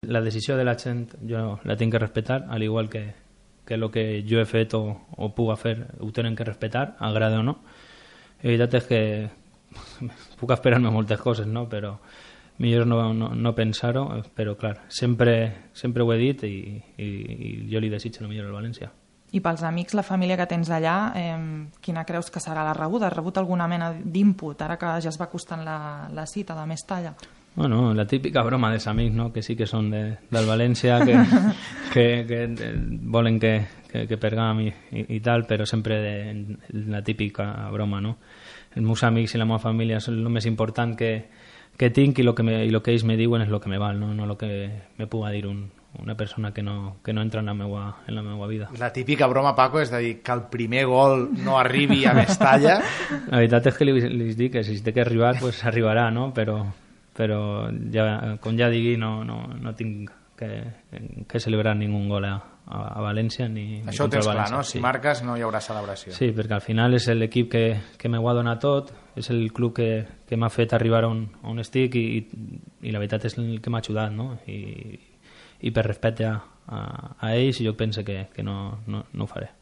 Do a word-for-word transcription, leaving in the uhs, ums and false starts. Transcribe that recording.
La decisió de la gent jo la tinc que respectar, al igual que, que el que jo he fet o, o puc fer ho tenen que respectar, agrada o no. La veritat és que puc esperar-me moltes coses, no? Però millor no, no, no pensar-ho, però clar, sempre, sempre ho he dit i, i, i jo li desitjo el millor al València. I pels amics, la família que tens allà, eh, quina creus que serà la rebuda? Has rebut alguna mena d'input, ara que ja es va costant la, la cita de més talla? Bueno, la típica broma dels amics, no? Que sí que són de, del València, que, que, que volen que, que, que pergam i, i, i tal, però sempre de, la típica broma, no? Els meus amics i la meva família són el més important que, que tinc i el que, me, i lo que ells me diuen és el que me val, no, no el que me puga dir un, una persona que no, que no entra en la, meua, en la meua vida. La típica broma, Paco, és de dir que el primer gol no arribi a Mestalla. La veritat és que li, li dic que si té que arribar, pues arribarà, no? Però, però ja, com ja digui, no, no, no tinc que, que celebrar ningú gol a, a València ni, això ho tens clar, no? Si sí. marques no hi haurà celebració. Sí, perquè al final és l'equip que, que m'ho ha donat tot, és el club que, que m'ha fet arribar on, on estic i, i la veritat és el que m'ha ajudat, no? I, i per respecte a, a, a ells jo penso que, que no, no, no ho faré.